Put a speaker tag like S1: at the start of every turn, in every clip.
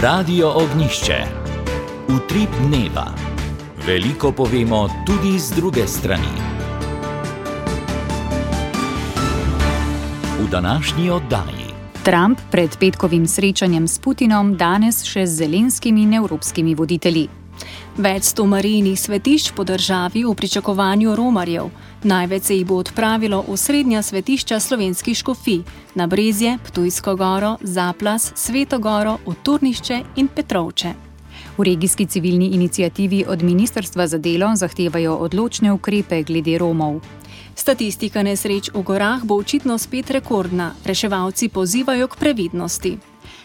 S1: Radio Ognjišče. Utrip dneva. Veliko povemo tudi z druge strani. V današnji oddaji.
S2: Trump pred petkovim srečanjem s Putinom, danes še z Zelenskimi in evropskimi voditelji.
S3: Več 100 marijnih svetišč po državi v pričakovanju romarjev. Največ se jih bo odpravilo v srednja svetišča slovenskih škofij, na Brezje, Ptujsko goro, Zaplas, Sveto goro, v Turnišče in Petrovče.
S2: V regijski civilni iniciativi od Ministrstva za delo zahtevajo odločne ukrepe glede Romov.
S3: Statistika nesreč v gorah bo očitno spet rekordna, reševalci pozivajo k previdnosti.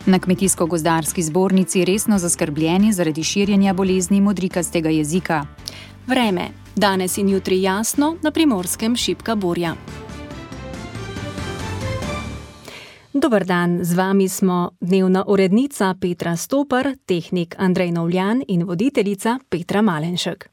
S2: Na Kmetijsko-gozdarski zbornici resno zaskrbljeni zaradi širjenja bolezni modrikastega jezika.
S3: Vreme. Danes in jutri jasno, na Primorskem šibka burja. Dober dan, z vami smo dnevna urednica Petra Stopar, tehnik Andrej Novljan in voditeljica Petra Malenšek.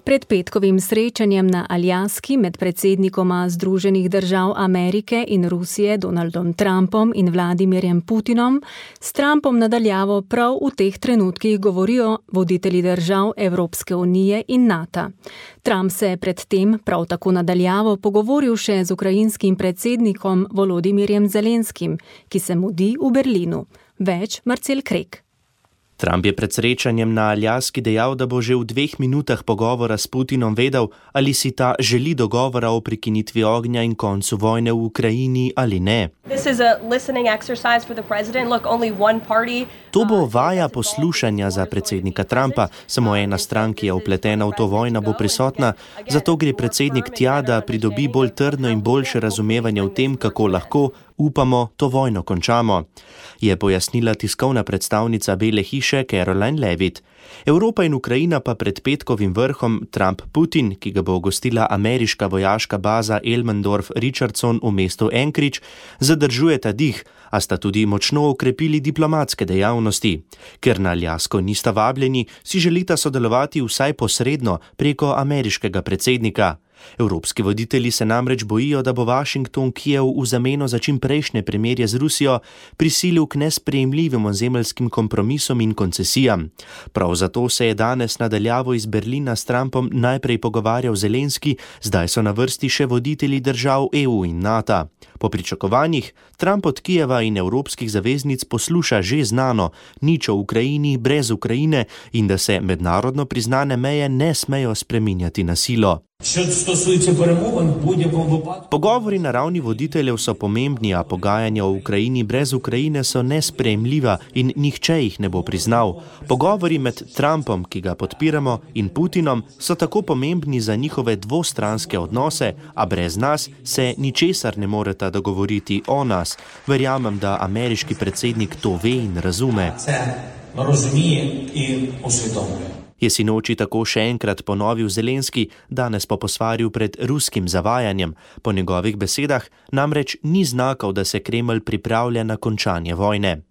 S3: Pred petkovim srečanjem na Aljaski med predsednikoma Združenih držav Amerike in Rusije Donaldom Trumpom in Vladimirjem Putinom s Trumpom nadaljavo prav v teh trenutkih govorijo voditelji držav Evropske unije in NATO. Trump se je predtem prav tako nadaljavo pogovoril še z ukrajinskim predsednikom Volodimirjem Zelenskim, ki se mudi v Berlinu. Več Marcel Krek.
S4: Trump je pred srečanjem na Aljaski dejal, da bo že v 2 minutah pogovora s Putinom vedel, ali si ta želi dogovora o prekinitvi ognja in koncu vojne v Ukrajini ali ne. To bo vaja poslušanja za predsednika Trumpa, samo ena stran, ki je vpletena v to vojno, bo prisotna, zato gre predsednik tja, da pridobi bolj trdno in boljše razumevanje v tem, kako lahko, upamo, to vojno končamo, je pojasnila tiskovna predstavnica Bele hiše Caroline Levitt. Evropa in Ukrajina pa pred petkovim vrhom Trump-Putin, ki ga bo gostila ameriška vojaška baza Elmendorf-Richardson v mestu Anchorage, zadržujeta dih, a sta tudi močno okrepili diplomatske dejavnosti. Ker na Aljasko nista vabljeni, si želita sodelovati vsaj posredno preko ameriškega predsednika. Evropski voditelji se namreč bojijo, da bo Washington Kijev v zameno za čimprejšnje premirje z Rusijo prisilil k nesprejemljivim ozemeljskim kompromisom in koncesijam. Prav zato se je danes nadaljavo iz Berlina s Trumpom najprej pogovarjal Zelenski, zdaj so na vrsti še voditelji držav EU in NATO. Po pričakovanjih Trump od Kijeva in evropskih zaveznic posluša že znano, nič o Ukrajini brez Ukrajine in da se mednarodno priznane meje ne smejo spreminjati na silo. Pogovori na ravni voditeljev so pomembni, a pogajanja o Ukrajini brez Ukrajine so nesprejemljiva in nihče jih ne bo priznal. Pogovori med Trumpom, ki ga podpiramo, in Putinom so tako pomembni za njihove dvostranske odnose, a brez nas se ničesar ne moreta dogovoriti o nas. Verjamem, da ameriški predsednik to ve in razume. Je sinoči tako še enkrat ponovil Zelenski, danes po posvarju pred ruskim zavajanjem. Po njegovih besedah namreč ni znakov, da se Kremelj pripravlja na končanje vojne.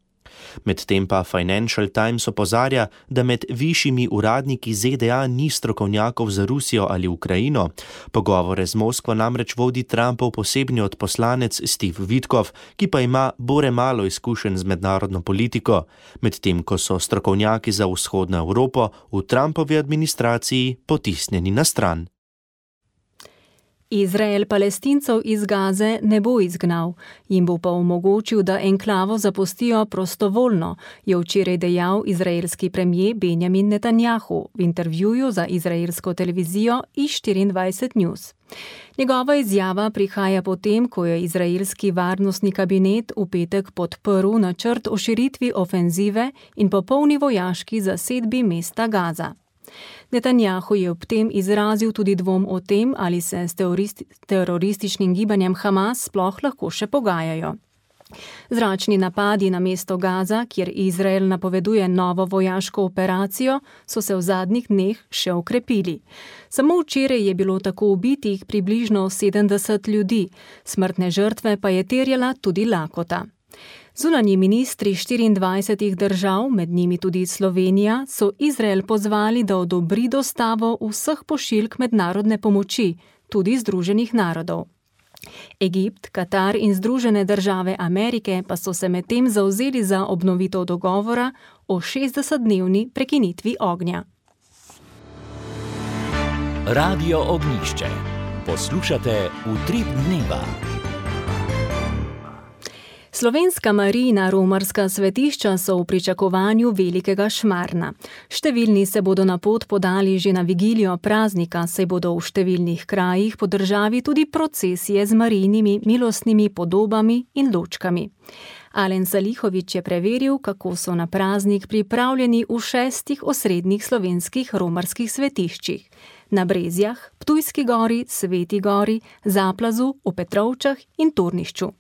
S4: Medtem pa Financial Times opozarja, da med višjimi uradniki ZDA ni strokovnjakov za Rusijo ali Ukrajino. Pogovore z Moskvo namreč vodi Trumpov posebni odposlanec Steve Witkoff, ki pa ima bore malo izkušenj z mednarodno politiko, medtem ko so strokovnjaki za vzhodno Evropo v Trumpovi administraciji potisnjeni na stran.
S3: Izrael Palestincev iz Gaze ne bo izgnal, jim bo pa omogočil, da enklavo zapustijo prostovoljno, je včeraj dejal izraelski premier Benjamin Netanjahu v intervjuju za izraelsko televizijo i24 News. Njegova izjava prihaja potem, ko je izraelski varnostni kabinet v petek podprl načrt o širitvi ofenzive in popolni vojaški zasedbi mesta Gaza. Netanjahu je ob tem izrazil tudi dvom o tem, ali se s terorističnim gibanjem Hamas sploh lahko še pogajajo. Zračni napadi na mesto Gaza, kjer Izrael napoveduje novo vojaško operacijo, so se v zadnjih dneh še okrepili. Samo včeraj je bilo tako ubitih približno 70 ljudi, smrtne žrtve pa je terjala tudi lakota. Zunanji ministri 24 držav, med njimi tudi Slovenija, so Izrael pozvali, da odobri dostavo vseh pošiljk mednarodne pomoči, tudi Združenih narodov. Egipt, Katar in Združene države Amerike pa so se medtem zavzeli za obnovitev dogovora o 60-dnevni prekinitvi ognja.
S1: Radio Ognjišče. Poslušate Utrip dneva.
S3: Slovenska Marijina romarska svetišča so v pričakovanju velikega šmarna. Številni se bodo na pot podali že na vigilijo praznika, saj bodo v številnih krajih po državi tudi procesije z Marijinimi milostnimi podobami in lučkami. Alen Salihović je preveril, kako so na praznik pripravljeni v 6 osrednjih slovenskih romarskih svetiščih. Na Brezjah, Ptujski gori, Sveti gori, Zaplazu, v Petrovčah in Turnišču.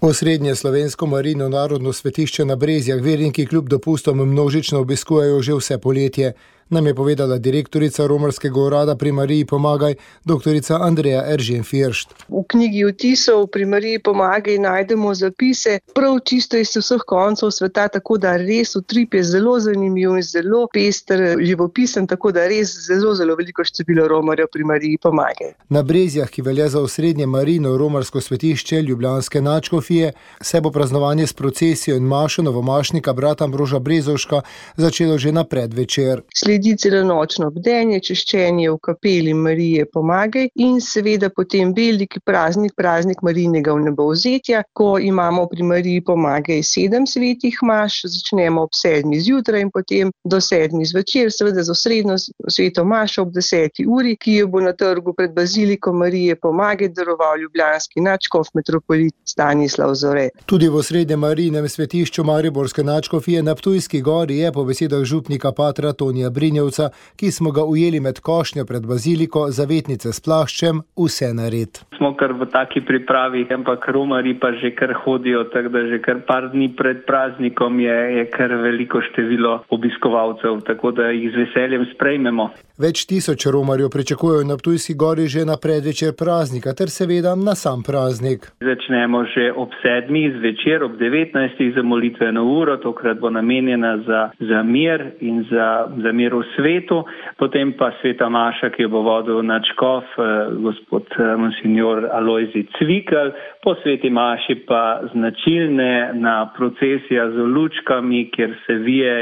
S5: Osrednje slovensko Marijino narodno svetišče na Brezjah verniki kljub dopustom množično obiskujejo že vse poletje, nam je povedala direktorica romarskega urada pri Mariji Pomagaj, doktorica Andreja Eržen-Firšt.
S6: V knjigi vtisov pri Mariji Pomagaj najdemo zapise prav čisto iz vseh koncev sveta, tako da res utrip je zelo zanimiv in zelo pester, živopisen, tako da res zelo veliko število romarjev pri Mariji Pomagaj.
S5: Na Brezjah, ki velja za osrednje Marijino romarsko svetišče ljubljanske nadškofije, se bo praznovanje s procesijo in mašo novomašnika brata Ambroža Brezovška začelo že na predvečer.
S6: Sledi celonočno bdenje, češčenje v kapeli Marije Pomagaj in seveda potem veliki praznik Marijinega vnebovzetja, ko imamo pri Mariji Pomagaj 7 svetih maš, začnemo ob 7 zjutraj in potem do 7 zvečer, seveda z osrednjo sveto mašo ob 10 uri, ki jo bo na trgu pred baziliko Marije Pomagaj daroval ljubljanski nadškof metropolit Stanislav Zore.
S5: Tudi v osrednjem Marijinem svetišču mariborske nadškofije na Ptujski gori je po besedah župnika patra Tonija Brinjevca, ki smo ga ujeli med košnjo pred baziliko, zavetnice s plaščem, vse nared.
S7: Smo kar v taki pripravi, ampak romarji pa že kar hodijo, tako da že kar par dni pred praznikom je kar veliko število obiskovalcev, tako da jih z veseljem sprejmemo.
S5: Več tisoč romarjev pričakujejo na Ptujski gori že na predvečer praznika, ter seveda na sam praznik.
S7: Začnemo že ob 7 zvečer, ob 19 za molitveno uro, tokrat bo namenjena za mir in za mir v svetu, potem pa sveta maša, ki jo bo vodil nadškof, gospod monsignor Alojzij Cvikl, po sveti maši pa značilna procesija z lučkami, kjer se vije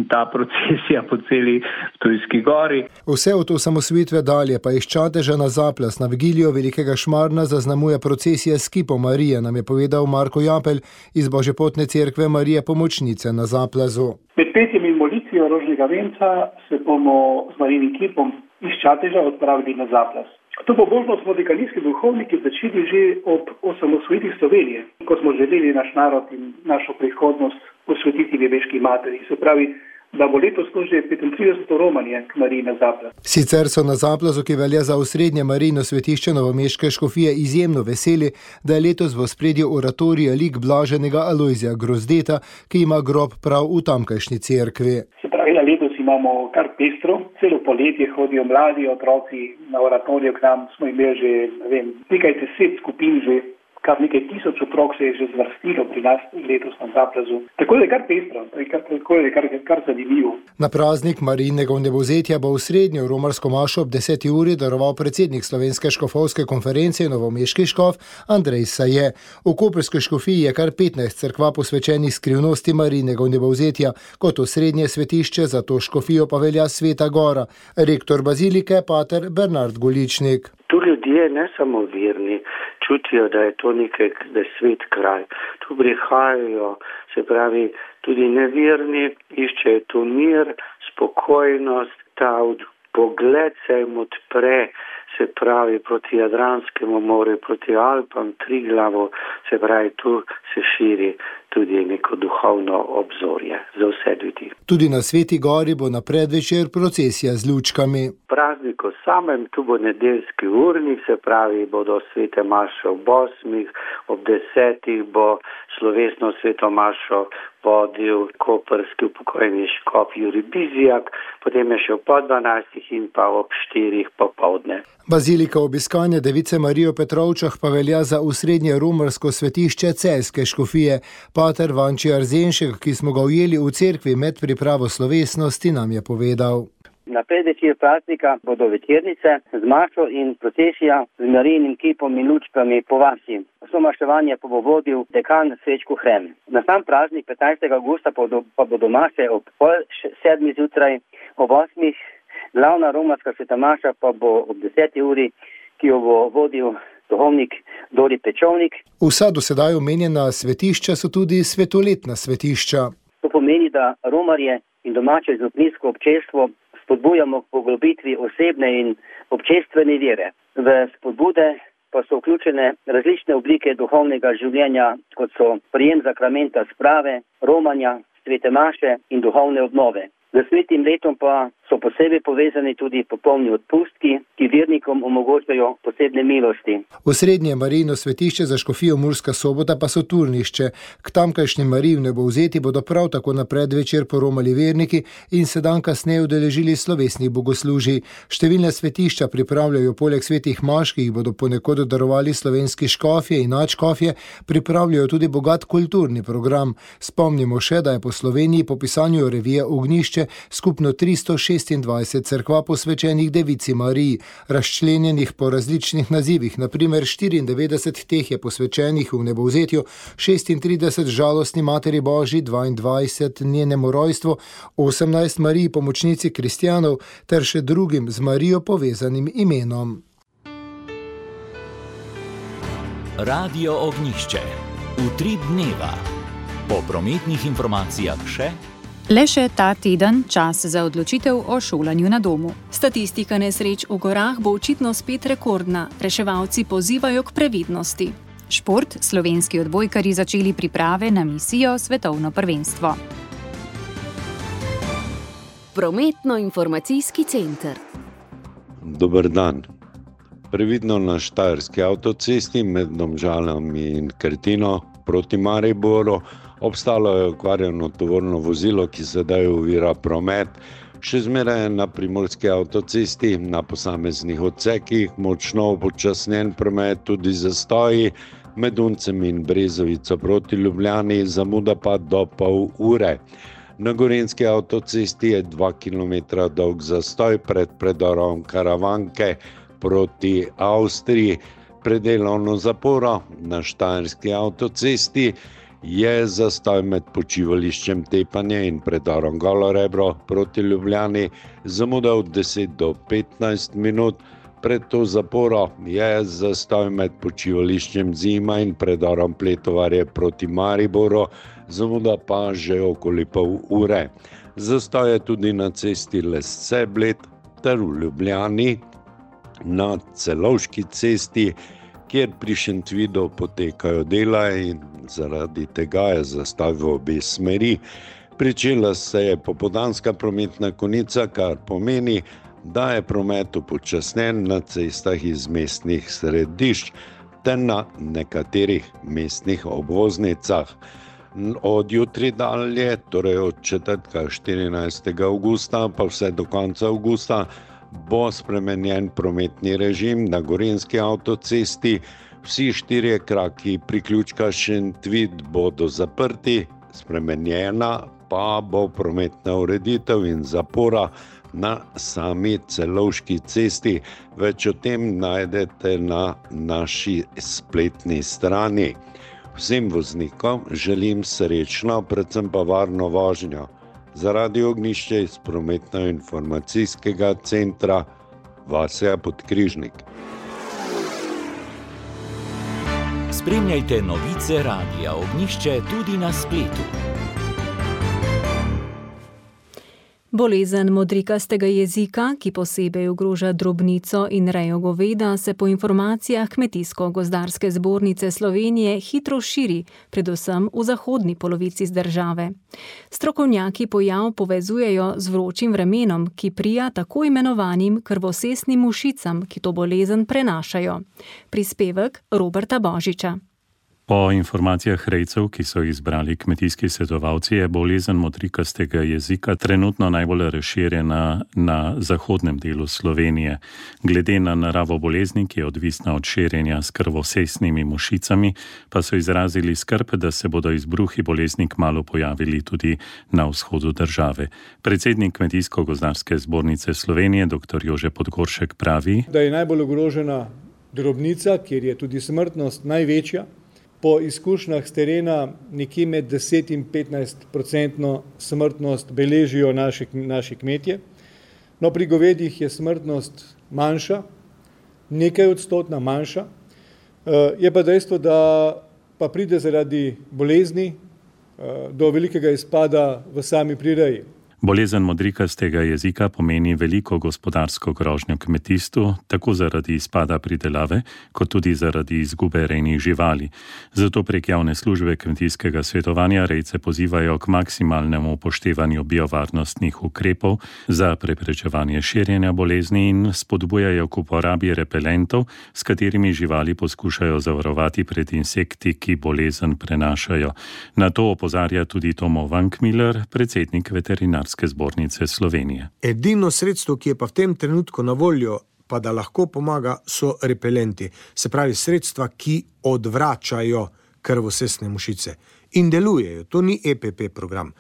S7: ta procesija po celi Ptujski gori.
S5: Vse od osamosvojitve dalje pa iz Čateža na Zaplas na vigilijo velikega šmarna zaznamuje procesija s kipom Marije, nam je povedal Marko Japelj iz Božjepotne cerkve Marije Pomočnice na Zaplazu.
S8: Med petjem in molitvijo rožnega venca se bomo z Marijinim kipom iz Čateža odpravili na Zaplas. To pobožnost smo dekanijski duhovniki začeli že ob osamosvojitvi Slovenije, ko smo želeli naš narod in našo prihodnost posvetiti nebeški materi. Se pravi, da bo letos že 35. romanje k Mariji na Zaplas.
S5: Sicer so na Zaplazu, ki velja za osrednje Marijino svetišče novomeške škofije, izjemno veseli, da je letos v ospredju oratorija lik blaženega Alojzija Grozdeta, ki ima grob prav v tamkajšnji cerkvi.
S8: Se pravi, letos imamo kar pestro, celo poletje hodijo mladi otroci na oratorijo k nam, smo imeli že nekaj 10 skupin že. Kar nekaj tisoč otrok se je že zvrstilo pri nas letos na Zaplazu. Tako je kar pestro, tako je kar zanimivo.
S5: Na praznik Marijinega vnebovzetja bo v srednjo romarsko mašo ob 10 uri daroval predsednik Slovenske škofovske konference novomeški škof Andrej Saje. V koprski škofiji je kar 15 cerkva posvečenih skrivnosti Marijinega vnebovzetja, kot osrednje svetišče, za to škofijo pa velja Sveta gora. Rektor bazilike pater Bernard Goličnik.
S9: Tu ljudje, ne samo verni, čutijo, da je to nekaj, da je svet kraj. Tu prihajajo, se pravi, tudi neverni, iščejo tu mir, spokojnost, ta pogled se jim odpre, se pravi, proti Jadranskemu morju, proti Alpam, Triglavu, se pravi, tu se širi tudi neko duhovno obzorje za vse ljudi.
S5: Tudi na Sveti gori bo na predvečer procesija z lučkami.
S9: Prazniku samem, tu bo nedeljski urnik, se pravi, bodo svete maše ob 8, ob 10 bo slovesno sveto mašo vodil koprski upokojeni škof Jurij Bizjak, potem je še ob 12 in pa ob 4 popoldne.
S5: Bazilika obiskanja Device Marije v Petrovčah pa velja za osrednje romarsko svetišče celjske škofije. Pater Vanči Arzenšek, ki smo ga ujeli v cerkvi med pripravo slovesnosti, nam je povedal.
S10: Na predvečer praznika bodo večernice z mašo in procesija z Marijinim kipom in lučkami po vasi. Vso maševanje pa bo vodil dekan Srečko Hrem. Na sam praznik 15. avgusta pa bodo maše ob 6:30 zjutraj, ob 8. Glavna romarska sveta maša pa bo ob 10. uri, ki jo bo vodil duhovnik Dori Pečovnik.
S5: Vsa do sedaj omenjena svetišča so tudi svetoletna svetišča.
S10: To pomeni, da romarje in domače župnijsko občestvo spodbujamo k poglobitvi osebne in občestvene vere. V spodbude pa so vključene različne oblike duhovnega življenja, kot so prijem sakramenta sprave, romanja, svete maše in duhovne obnove. Z svetim letom pa so posebej povezani tudi popolni odpustki, ki vernikom omogočajo posebne milosti.
S5: Osrednje Marijino svetišče za škofijo Murska Sobota pa so Turnišče. K tamkajšnjem Mariji v Nebovzeti bodo prav tako na predvečer poromali verniki in se dan kasneje udeležili slovesnih bogoslužij. Številne svetišča pripravljajo poleg svetih maš, ki jih bodo ponekod darovali slovenski škofje in nadškofje, pripravljajo tudi bogat kulturni program. Spomnimo še, da je po Sloveniji po pisanju revije Ognjišče skupno 326 cerkva posvečenih Devici Mariji, razčlenjenih po različnih nazivih, na primer 94 teh je posvečenih v Nebovzetju, 36 žalostni Materi Božji, 22 njenemu rojstvu, 18 Mariji pomočnici kristjanov ter še drugim z Marijo povezanim imenom.
S1: Radio Ognjišče. Utrip dneva. Po prometnih informacijah še
S2: Le še ta teden čas za odločitev o šolanju na domu.
S3: Statistika nesreč v gorah bo očitno spet rekordna. Reševalci pozivajo k previdnosti.
S2: Šport, slovenski odbojkarji začeli priprave na misijo svetovno prvenstvo.
S11: Prometno-informacijski center.
S12: Dober dan. Previdno na Štajerski avtocesti med Domžalami in Krtino proti Mariboru obstalo je okvarjeno tovorno vozilo, ki sedaj ovira promet. Še zmeraj na Primorski avtocesti, na posameznih odsekih, močno upočasnjen promet, tudi zastoji, med Uncem in Brezovico proti Ljubljani, zamuda pa do pol ure. Na Gorenjski avtocesti je 2 km dolg zastoj pred predorom Karavanke proti Avstriji. Pred delovno zaporo na Štajerski avtocesti je zastoj med počivališčem Tepanje in predorom Golo Rebro proti Ljubljani, zamuda od 10 do 15 minut. Pred to zaporo je zastoj med počivališčem Zima in predorom Pletovarje proti Mariboru, zamuda pa že okoli pol ure. Zastoj je tudi na cesti Lesce-Bled ter v Ljubljani, na Celovški cesti, kjer pri Šentvidu potekajo dela in zaradi tega je zastoj v obe smeri. Pričela se je popoldanska prometna konica, kar pomeni, da je promet upočasnjen na cestah iz mestnih središč ter na nekaterih mestnih obvoznicah. Od jutri dalje, torej od četrtka 14. avgusta pa vse do konca avgusta, bo spremenjen prometni režim na Gorenjski avtocesti. Vsi 4 kraki priključka Šentvid bodo zaprti, spremenjena pa bo prometna ureditev in zapora na sami Celovški cesti. Več o tem najdete na naši spletni strani. Vsem voznikom želim srečno, predvsem pa varno vožnjo. Za Radio Ognjišče iz prometno-informacijskega centra Vasja Podkrižnik.
S1: Spremljajte novice Radia Ognjišče tudi na spletu.
S3: Bolezen modrikastega jezika, ki posebej ogroža drobnico in rejo goveda, se po informacijah Kmetijsko-gozdarske zbornice Slovenije hitro širi, predvsem v zahodni polovici države. Strokovnjaki pojav povezujejo z vročim vremenom, ki prija tako imenovanim krvosesnim mušicam, ki to bolezen prenašajo. Prispevek Roberta Božiča.
S11: Po informacijah rejcev, ki so jih izbrali kmetijski svetovalci, je bolezen modrikastega jezika trenutno najbolj razširjena na zahodnem delu Slovenije. Glede na naravo bolezni, ki je odvisna od širjenja s krvosesnimi mušicami, pa so izrazili skrb, da se bodo izbruhi bolezni kmalu pojavili tudi na vzhodu države. Predsednik Kmetijsko-gozdarske zbornice Slovenije, dr. Jože Podgoršek, pravi,
S13: da je najbolj ogrožena drobnica, kjer je tudi smrtnost največja. Po izkušnjah z terena nekje med 10 in 15% smrtnost beležijo naši kmetje. No, pri govedih je smrtnost manjša, nekaj odstotna manjša. Je pa dejstvo, da pa pride zaradi bolezni do velikega izpada v sami prireji.
S11: Bolezen modrikastega jezika pomeni veliko gospodarsko grožnjo kmetijstvu, tako zaradi izpada pridelave, kot tudi zaradi izgube rejnih živali. Zato prek javne službe kmetijskega svetovanja rejce pozivajo k maksimalnemu upoštevanju biovarnostnih ukrepov za preprečevanje širjenja bolezni in spodbujajo k uporabi repelentov, s katerimi živali poskušajo zavarovati pred insekti, ki bolezen prenašajo. Na to opozarja tudi Tomo Vankmiller, predsednik veterinarske zbornice Slovenije.
S14: Edino sredstvo, ki je pa v tem trenutku na voljo, pa da lahko pomaga, so repelenti. Se pravi sredstva, ki odvračajo krvosesne mušice. In delujejo, to ni EPP program.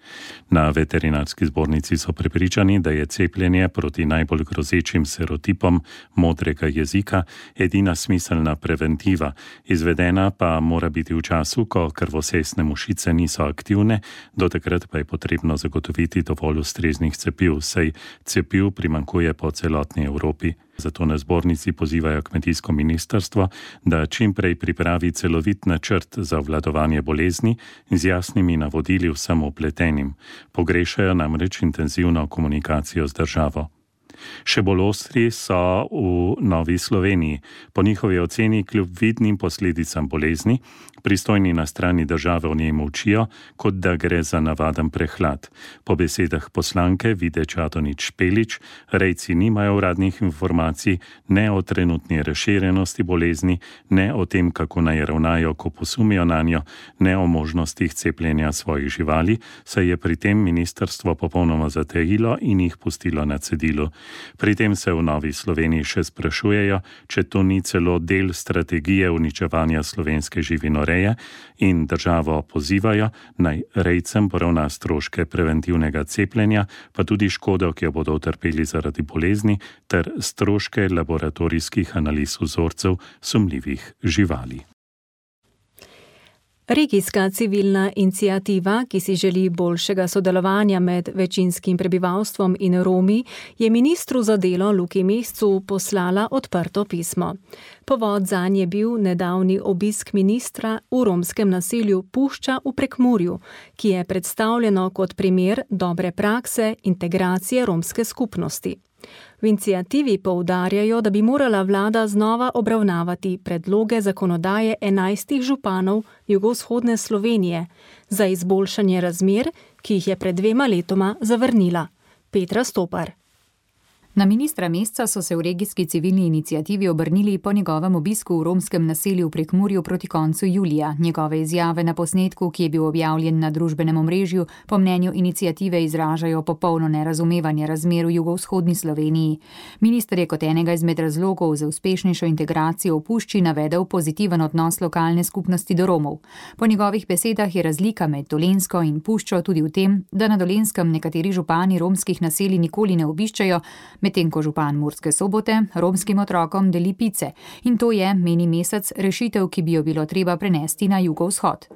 S11: Na veterinarski zbornici so prepričani, da je cepljenje proti najbolj grozečim serotipom modrega jezika edina smiselna preventiva. Izvedena pa mora biti v času, ko krvosesne mušice niso aktivne, do takrat pa je potrebno zagotoviti dovolj ustreznih cepiv, saj cepiv primanjkuje po celotni Evropi. Zato na zbornici pozivajo kmetijsko ministrstvo, da čim prej pripravi celovit načrt za obvladovanje bolezni z jasnimi navodili vsem vpletenim. Pogrešajo namreč intenzivno komunikacijo z državo. Še bolj ostri so v Novi Sloveniji. Po njihovi oceni kljub vidnim posledicam bolezni, pristojni na strani države o njej molčijo, kot da gre za navaden prehlad. Po besedah poslanke Vide Čadonič-Špelič, rejci nimajo uradnih informacij ne o trenutni razširjenosti bolezni, ne o tem, kako naj ravnajo, ko posumijo nanjo, ne o možnostih cepljenja svojih živali, saj je pri tem ministrstvo popolnoma zatajilo in jih pustilo na cedilu. Pri tem se v Novi Sloveniji še sprašujejo, če to ni celo del strategije uničevanja slovenske živinoreje in državo pozivajo, naj rejcem poravna stroške preventivnega cepljenja, pa tudi škodo, ki jo bodo utrpeli zaradi bolezni, ter stroške laboratorijskih analiz vzorcev sumljivih živali.
S3: Regijska civilna iniciativa, ki si želi boljšega sodelovanja med večinskim prebivalstvom in Romi, je ministru za delo Luki Mescu poslala odprto pismo. Povod zanj je bil nedavni obisk ministra v romskem naselju Pušča v Prekmurju, ki je predstavljeno kot primer dobre prakse integracije romske skupnosti. V iniciativi poudarjajo, da bi morala vlada znova obravnavati predloge zakonodaje 11 županov jugovzhodne Slovenije za izboljšanje razmer, ki jih je pred 2 letoma zavrnila. Petra Stopar.
S2: Na ministra Mesca so se v regijski civilni iniciativi obrnili po njegovem obisku v romskem naselju v Prekmurju proti koncu julija. Njegove izjave na posnetku, ki je bil objavljen na družbenem omrežju, po mnenju iniciative izražajo popolno nerazumevanje razmer v jugovzhodni Sloveniji. Minister je kot enega izmed razlogov za uspešnejšo integracijo v Pušči navedel pozitiven odnos lokalne skupnosti do Romov. Po njegovih besedah je razlika med Dolenjsko in Puščo tudi v tem, da na Dolenskem nekateri župani romskih naselij nikoli ne obiščajo, medtem ko župan Murske Sobote romskim otrokom deli pice. In to je, meni Mesec, rešitev, ki bi jo bilo treba prenesti na jugovzhod.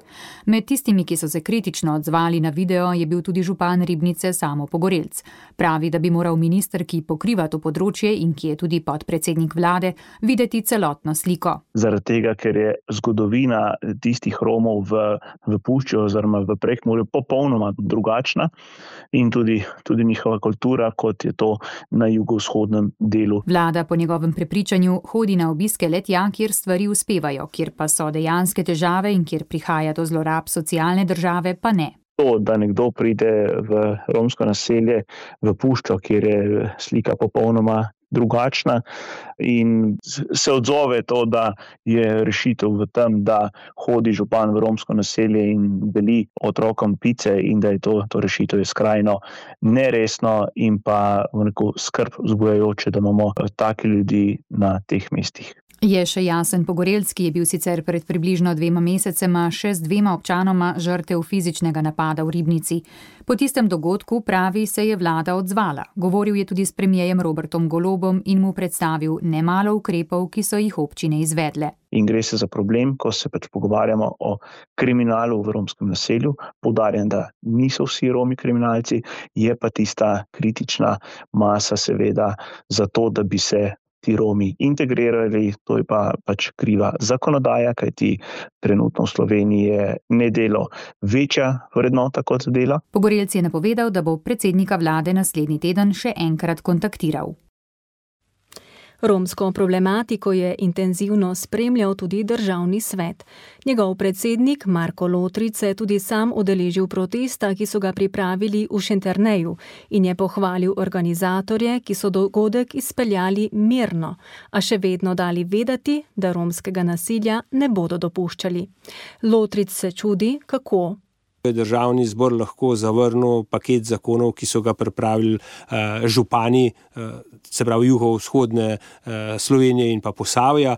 S2: Med tistimi, ki so se kritično odzvali na video, je bil tudi župan Ribnice Samo Pogorelc. Pravi, da bi moral minister, ki pokriva to področje in ki je tudi podpredsednik vlade, videti celotno sliko.
S15: Zaradi tega, ker je zgodovina tistih Romov v Pušči oziroma v Prekmurju popolnoma drugačna in tudi njihova kultura, kot je to na jugovzhodnem delu.
S2: Vlada po njegovem prepričanju hodi na obiske le tja, kjer stvari uspevajo, kjer pa so dejanske težave in kjer prihaja do zlorab socialne države, pa ne.
S15: To, da nekdo pride v romsko naselje v Puščo, kjer je slika popolnoma drugačna in se odzove to, da je rešitev v tem, da hodi župan v romsko naselje in deli otrokom pice in da je to rešitev je skrajno neresno in pa skrb vzbujajoče, da imamo take ljudi na teh mestih.
S2: Je še Jasen Pogorelc, ki je bil sicer pred približno 2 mesecema še z 2 občanoma žrtev fizičnega napada v Ribnici. Po tistem dogodku, pravi, se je vlada odzvala. Govoril je tudi s premierjem Robertom Golobom in mu predstavil nemalo ukrepov, ki so jih občine izvedle.
S15: In gre se za problem, ko se pogovarjamo o kriminalu v romskem naselju. Poudarjam, da niso vsi Romi kriminalci, je pa tista kritična masa seveda za to, da bi se ti Romi integrirali, to je pa kriva zakonodaja, kajti trenutno v Sloveniji je nedelo večja vrednota kot delo.
S2: Pogorelc je napovedal, da bo predsednika vlade naslednji teden še enkrat kontaktiral.
S3: Romsko problematiko je intenzivno spremljal tudi Državni svet. Njegov predsednik Marko Lotrič se je tudi sam udeležil protesta, ki so ga pripravili v Šenterneju in je pohvalil organizatorje, ki so dogodek izpeljali mirno, a še vedno dali vedeti, da romskega nasilja ne bodo dopuščali. Lotrič se čudi, kako
S16: Državni zbor lahko zavrnil paket zakonov, ki so ga pripravili župani, se pravi jugovzhodne Slovenije in pa Posavja,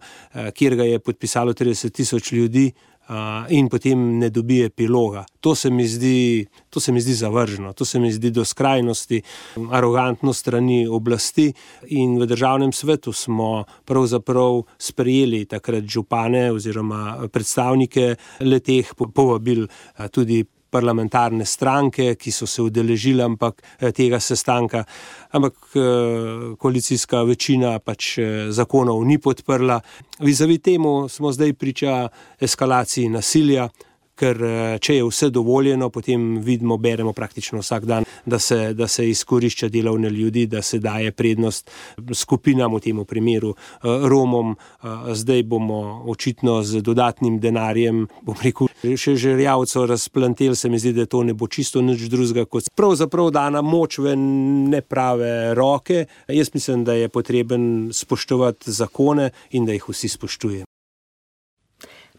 S16: kjer ga je podpisalo 30,000 ljudi in potem ne dobi epiloga. To se mi zdi zavrženo, to se mi zdi do skrajnosti, arogantno strani oblasti in v Državnem svetu smo pravzaprav sprejeli takrat župane oziroma predstavnike leteh, povabili tudi parlamentarne stranke, ki so se udeležili tega sestanka, ampak koalicijska večina zakonov ni podprla. Vizavi temu smo zdaj priča eskalaciji nasilja, ker če je vse dovoljeno, potem vidimo, beremo praktično vsak dan, da se izkorišča delovne ljudi, da se daje prednost skupinam, v tem primeru Romom. Zdaj bomo očitno z dodatnim denarjem, še žerjavco razplanteli, se mi zdi, da to ne bo čisto nič drugega, kot pravzaprav dana moč v neprave roke. Jaz mislim, da je potreben spoštovati zakone in da jih vsi spoštujemo.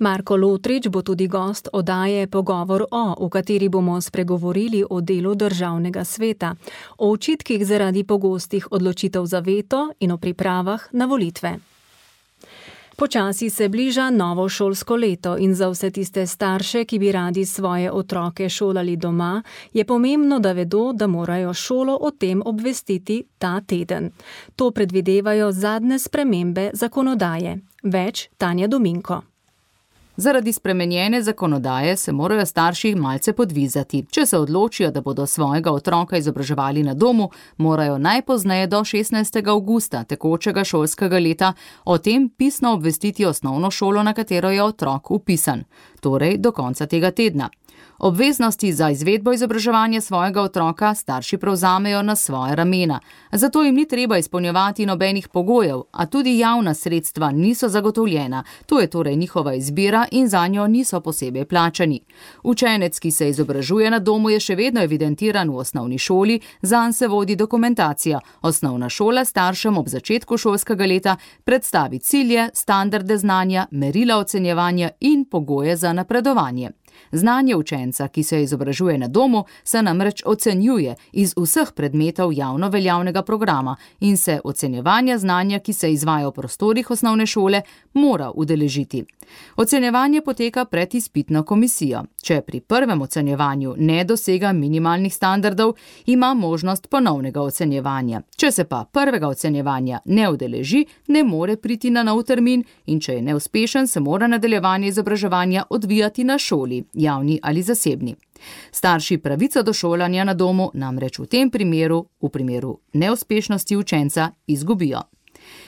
S3: Marko Lotrič bo tudi gost oddaje Pogovor v kateri bomo spregovorili o delu Državnega sveta, o očitkih zaradi pogostih odločitev za veto in o pripravah na volitve. Počasi se bliža novo šolsko leto in za vse tiste starše, ki bi radi svoje otroke šolali doma, je pomembno, da vedo, da morajo šolo o tem obvestiti ta teden. To predvidevajo zadnje spremembe zakonodaje. Več Tanja Dominko.
S17: Zaradi spremenjene zakonodaje se morajo starši malce podvizati. Če se odločijo, da bodo svojega otroka izobraževali na domu, morajo najpozneje do 16. avgusta tekočega šolskega leta o tem pisno obvestiti osnovno šolo, na katero je otrok vpisan, torej do konca tega tedna. Obveznosti za izvedbo izobraževanja svojega otroka starši prevzamejo na svoje ramena. Zato jim ni treba izpolnjevati nobenih pogojev, a tudi javna sredstva niso zagotovljena. To je torej njihova izbira in zanjo niso posebej plačani. Učenec, ki se izobražuje na domu, je še vedno evidentiran v osnovni šoli, zanj se vodi dokumentacija. Osnovna šola staršem ob začetku šolskega leta predstavi cilje, standarde znanja, merila ocenjevanja in pogoje za napredovanje. Znanje učenca, ki se izobražuje na domu, se namreč ocenjuje iz vseh predmetov javno veljavnega programa in se ocenjevanja znanja, ki se izvaja v prostorih osnovne šole, mora udeležiti. Ocenjevanje poteka pred izpitno komisijo. Če pri prvem ocenjevanju ne dosega minimalnih standardov, ima možnost ponovnega ocenjevanja. Če se pa prvega ocenjevanja ne udeleži, ne more priti na nov termin in če je neuspešen, se mora nadaljevanje izobraževanja odvijati na šoli, javni ali zasebni. Starši pravico do šolanja na domu namreč v tem primeru, v primeru neuspešnosti učenca, izgubijo.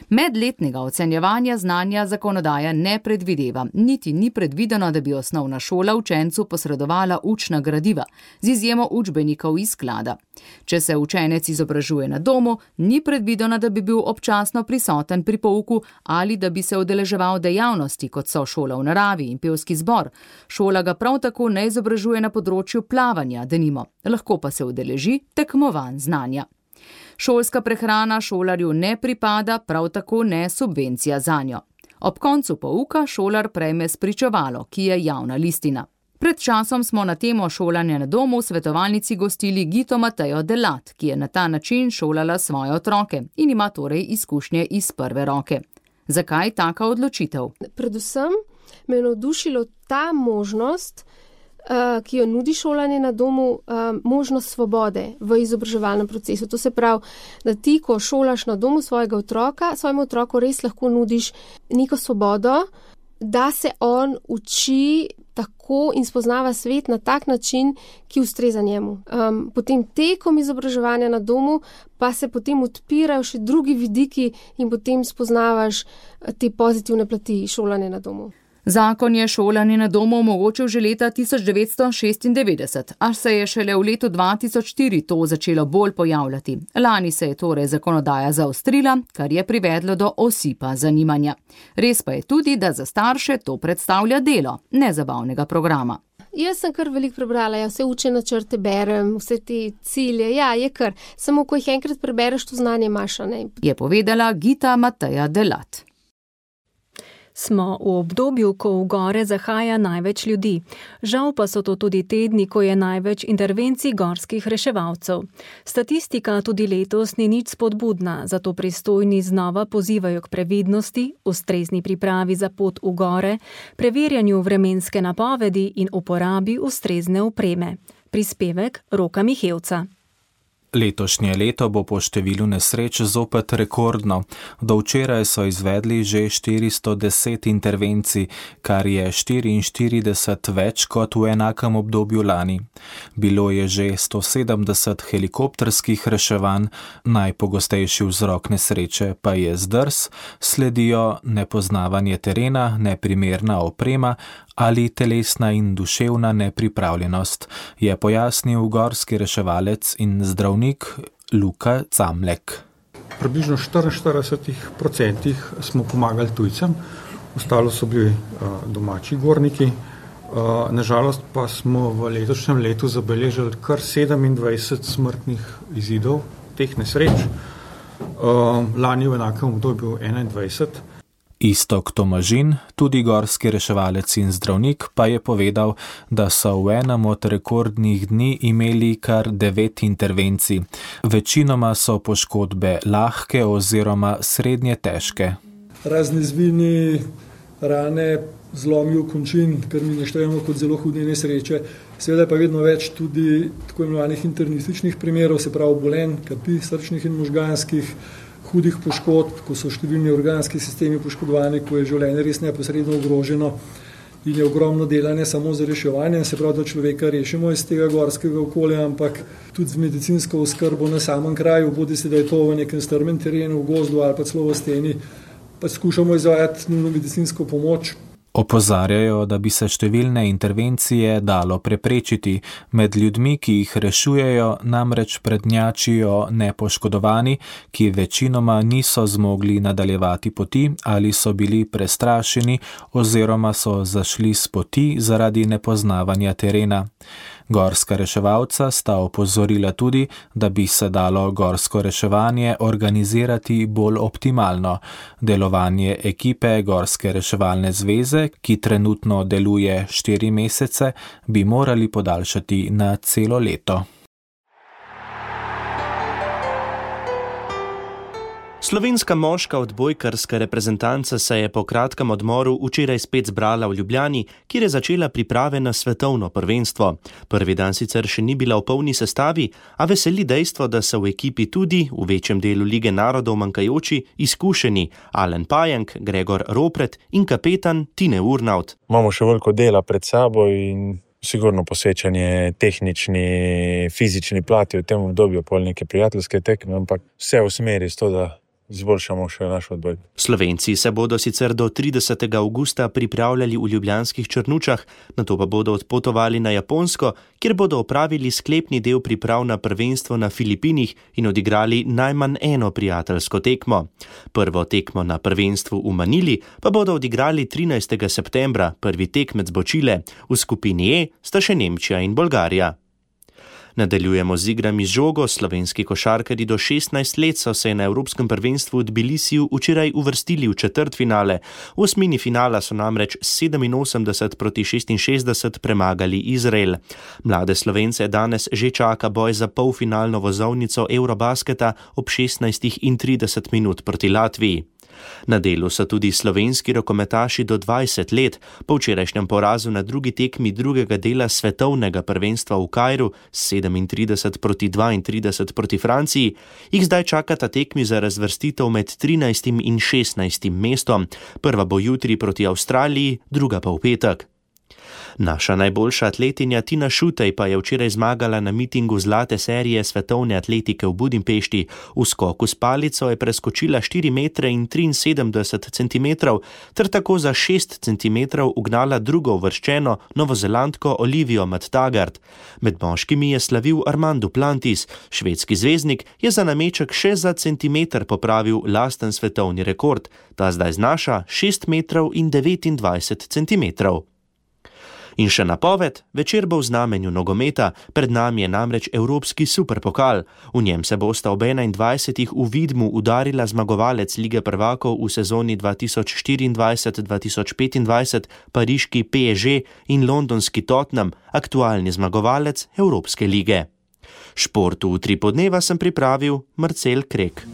S17: Medletnega ocenjevanja znanja zakonodaja ne predvideva, niti ni predvideno, da bi osnovna šola učencu posredovala učna gradiva, z izjemo učbenikov iz sklada. Če se učenec izobražuje na domu, ni predvideno, da bi bil občasno prisoten pri pouku ali da bi se udeleževal dejavnosti, kot so šola v naravi in pevski zbor. Šola ga prav tako ne izobražuje na področju plavanja, denimo, lahko pa se udeleži tekmovanj znanja. Šolska prehrana šolarju ne pripada, prav tako ne subvencija zanjo. Ob koncu pouka šolar prejme spričevalo, ki je javna listina. Pred časom smo na temo šolanja na domu v svetovalnici gostili Gito Matejo Delat, ki je na ta način šolala svoje otroke in ima torej izkušnje iz prve roke. Zakaj taka odločitev?
S18: Predvsem me je navdušilo ta možnost, ki jo nudi šolanje na domu, možnost svobode v izobraževalnem procesu. To se pravi, da ti, ko šolaš na domu svojega otroka, svojemu otroku res lahko nudiš neko svobodo, da se on uči tako in spoznava svet na tak način, ki ustreza njemu. Potem tekom izobraževanja na domu pa se potem odpirajo še drugi vidiki in potem spoznavaš te pozitivne plati šolanja na domu.
S17: Zakon je šolanje na domu omogočil že leta 1996, a se je šele v letu 2004 to začelo bolj pojavljati. Lani se je torej zakonodaja zaostrila, kar je privedlo do osipa zanimanja. Res pa je tudi, da za starše to predstavlja delo, ne zabavnega programa.
S18: Jaz sem kar veliko prebrala, vse učne načrte berem, vse te cilje, je kar. Samo ko jih enkrat prebereš, to znanje imaš, ne?
S17: Je povedala Gita Mateja Delat.
S3: Smo v obdobju, ko v gore zahaja največ ljudi. Žal pa so to tudi tedni, ko je največ intervencij gorskih reševalcev. Statistika tudi letos ni nič spodbudna, zato pristojni znova pozivajo k previdnosti, ustrezni pripravi za pot v gore, preverjanju vremenske napovedi in uporabi ustrezne opreme. Prispevek Roka Mihevca.
S19: Letošnje leto bo po številu nesreč zopet rekordno. Do včeraj so izvedli že 410 intervencij, kar je 44 več kot v enakem obdobju lani. Bilo je že 170 helikopterskih reševanj, najpogostejši vzrok nesreče pa je zdrs, sledijo nepoznavanje terena, neprimerna oprema ali telesna in duševna nepripravljenost, je pojasnil gorski reševalec in zdravnik Luka Camlek.
S20: Približno 44% smo pomagali tujcem, ostalo so bili domači gorniki. Nažalost pa smo v letošnjem letu zabeležili kar 27 smrtnih izidov teh nesreč. Lani v enakem obdobju 21.
S19: Iztok Tomažin, tudi gorski reševalec in zdravnik, pa je povedal, da so v enem od rekordnih dni imeli kar 9 intervencij. Večinoma so poškodbe lahke oziroma srednje težke.
S21: Razne zvini, rane, zlomi v končin, kar mi naštejemo kot zelo hude nesreče. Seveda pa vedno več tudi tako imenovanih internističnih primerov, se pravi obolenj, kapi, srčnih in možganskih, hudih poškodb, ko so številni organski sistemi poškodovani, ko je življenje res neposredno ogroženo in je ogromno dela ne samo za reševanje, se pravi, da človeka rešimo iz tega gorskega okolja, ampak tudi z medicinsko oskrbo na samem kraju, bodi se, da je to v nekem strmem terenu, v gozdu ali pa celo v steni, pa skušamo izvajati nujno medicinsko pomoč.
S19: Opozarjajo, da bi se številne intervencije dalo preprečiti. Med ljudmi, ki jih rešujejo, namreč prednjačijo nepoškodovani, ki večinoma niso zmogli nadaljevati poti ali so bili prestrašeni oziroma so zašli s poti zaradi nepoznavanja terena. Gorska reševalca sta opozorila tudi, da bi se dalo gorsko reševanje organizirati bolj optimalno. Delovanje ekipe Gorske reševalne zveze, ki trenutno deluje 4 mesece, bi morali podaljšati na celo leto.
S4: Slovenska moška odbojkarska reprezentanca se je po kratkem odmoru včeraj spet zbrala v Ljubljani, kjer je začela priprave na svetovno prvenstvo. Prvi dan sicer še ni bila v polni sestavi, a veseli dejstvo, da so v ekipi tudi v večjem delu Lige narodov manjkajoči izkušeni Alen Pajenk, Gregor Ropret in kapetan Tine Urnaut.
S22: Imamo še veliko dela pred sabo in sigurno posvečanje tehnični, fizični plati v tem obdobju, pol neke prijateljske tekme, ampak vse v smeri s to, da izboljšamo še naš odboj.
S4: Slovenci se bodo sicer do 30. avgusta pripravljali v ljubljanskih Črnučah, nato pa bodo odpotovali na Japonsko, kjer bodo opravili sklepni del priprav na prvenstvo na Filipinih in odigrali najmanj eno prijateljsko tekmo. Prvo tekmo na prvenstvu v Manili pa bodo odigrali 13. septembra, prvi tekmec bo Čile, v skupini E sta še Nemčija in Bolgarija. Nadaljujemo z igrami z žogo. Slovenski košarkarji do 16 let so se na Evropskem prvenstvu v Tbilisiju včeraj uvrstili v četrtfinale. V osmini finala so namreč 87-66 premagali Izrael. Mlade Slovence danes že čaka boj za polfinalno vozovnico Eurobasketa ob 16:30 proti Latviji. Na delu so tudi slovenski rokometaši do 20 let. Po včerajšnjem porazu na drugi tekmi drugega dela svetovnega prvenstva v Kairu 37-32 proti Franciji, jih zdaj čakata tekmi za razvrstitev med 13. in 16. mestom. Prva bo jutri proti Avstraliji, druga pa v petek. Naša najboljša atletinja Tina Šutej pa je včeraj zmagala na mitingu zlate serije svetovne atletike v Budimpešti. V skoku s palico je preskočila 4 metre in 73 centimetrov ter tako za 6 centimetrov ugnala drugo uvrščeno novozelandko Olivijo Matt-Taggart. Med moškimi je slavil Armand Duplantis. Švedski zvezdnik je za nameček še za centimeter popravil lasten svetovni rekord. Ta zdaj znaša 6 metrov in 29 centimetrov. In še napoved, večer bo v znamenju nogometa, pred nami je namreč Evropski superpokal. V njem se bosta ob 21. v Vidmu udarila zmagovalec Lige prvakov v sezoni 2024-2025, pariški PSG in londonski Tottenham, aktualni zmagovalec Evropske lige. Športu v 3 podneva sem pripravil Marcel Krek.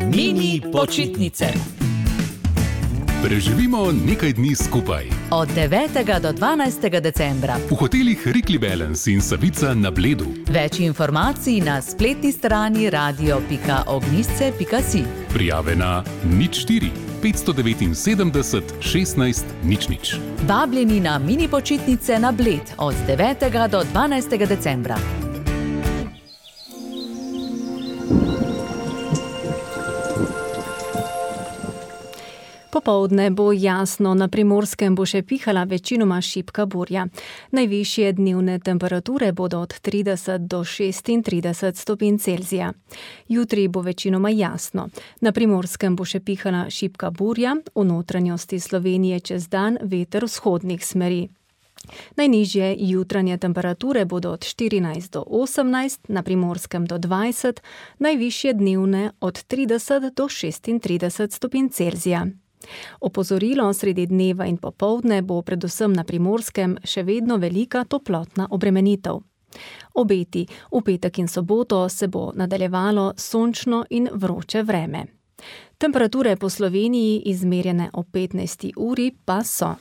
S1: Mini počitnice.
S6: Preživimo nekaj dni skupaj.
S17: Od 9. do 12. decembra.
S6: V hotelih Rikli Balance in Savica na Bledu.
S17: Več informacij na spletni strani radio.ognisce.si.
S6: Prijave na 04 579 16 00.
S17: Vabljeni na mini počitnice na Bled od 9. do 12. decembra.
S3: Popoldne bo jasno, na Primorskem bo še pihala večinoma šibka burja. Najvišje dnevne temperature bodo od 30 do 36 stopinj Celzija. Jutri bo večinoma jasno. Na Primorskem bo še pihala šibka burja, v notranjosti Slovenije čez dan veter vzhodnih smeri. Najnižje jutranje temperature bodo od 14 do 18, na Primorskem do 20, najvišje dnevne od 30 do 36 stopinj Celzija. Opozorilo sredi dneva in popoldne bo predvsem na Primorskem še vedno velika toplotna obremenitev. Obeti, v petek in soboto se bo nadaljevalo sončno in vroče vreme. Temperature po Sloveniji izmerjene ob 15. uri pa so: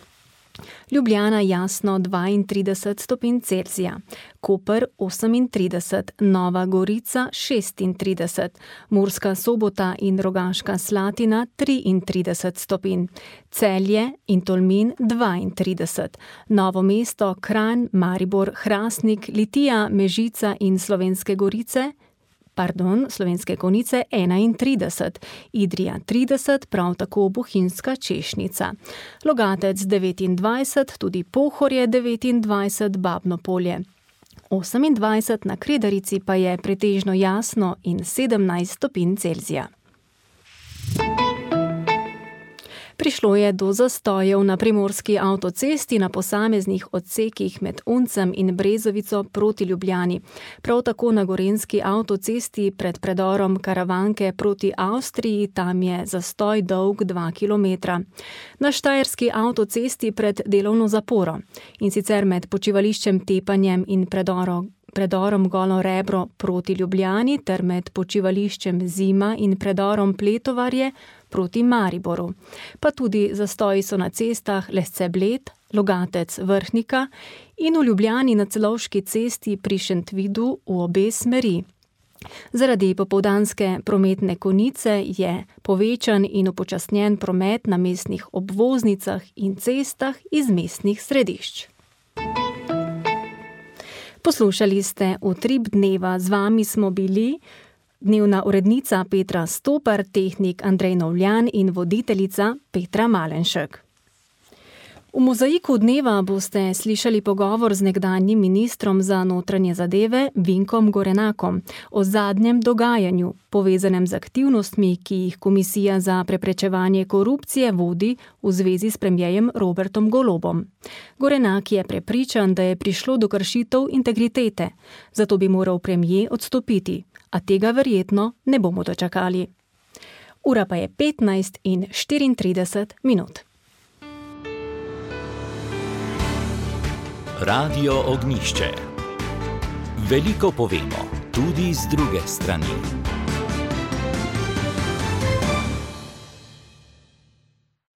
S3: Ljubljana jasno 32 stopinj Celzija, Koper 38, Nova Gorica 36, Murska Sobota in Rogaška Slatina 33 stopinj, Celje in Tolmin 32, Novo mesto, Kranj, Maribor, Hrastnik, Litija, Mežica in Slovenske Konjice 31, Idrija 30, prav tako Bohinjska Češnica. Logatec 29, tudi Pohorje 29, Babno Polje 28, na Kredarici pa je pretežno jasno in 17 stopinj Celzija. Prišlo je do zastojev na primorski avtocesti na posameznih odsekih med Uncem in Brezovico proti Ljubljani. Prav tako na gorenjski avtocesti pred predorom Karavanke proti Avstriji, tam je zastoj dolg 2 km. Na štajerski avtocesti pred delovno zaporo, in sicer med počivališčem Tepanjem in predorom Golo Rebro proti Ljubljani ter med počivališčem Zima in predorom Pletovarje proti Mariboru. Pa tudi zastoji so na cestah Lesce-Bled, Logatec Vrhnika in v Ljubljani na Celovški cesti pri Šentvidu v obe smeri. Zaradi popoldanske prometne konice je povečan in upočasnjen promet na mestnih obvoznicah in cestah iz mestnih središč. Poslušali ste Utrip dneva, z vami smo bili dnevna urednica Petra Stopar, tehnik Andrej Novljan in voditeljica Petra Malenšek. V mozaiku dneva boste slišali pogovor z nekdanjim ministrom za notranje zadeve Vinkom Gorenakom o zadnjem dogajanju, povezanem z aktivnostmi, ki jih Komisija za preprečevanje korupcije vodi v zvezi s premierjem Robertom Golobom. Gorenak je prepričan, da je prišlo do kršitev integritete, zato bi moral premier odstopiti, a tega verjetno ne bomo dočakali. Ura pa je 15:34.
S1: Radio Ognjišče. Veliko povemo, tudi z druge strani.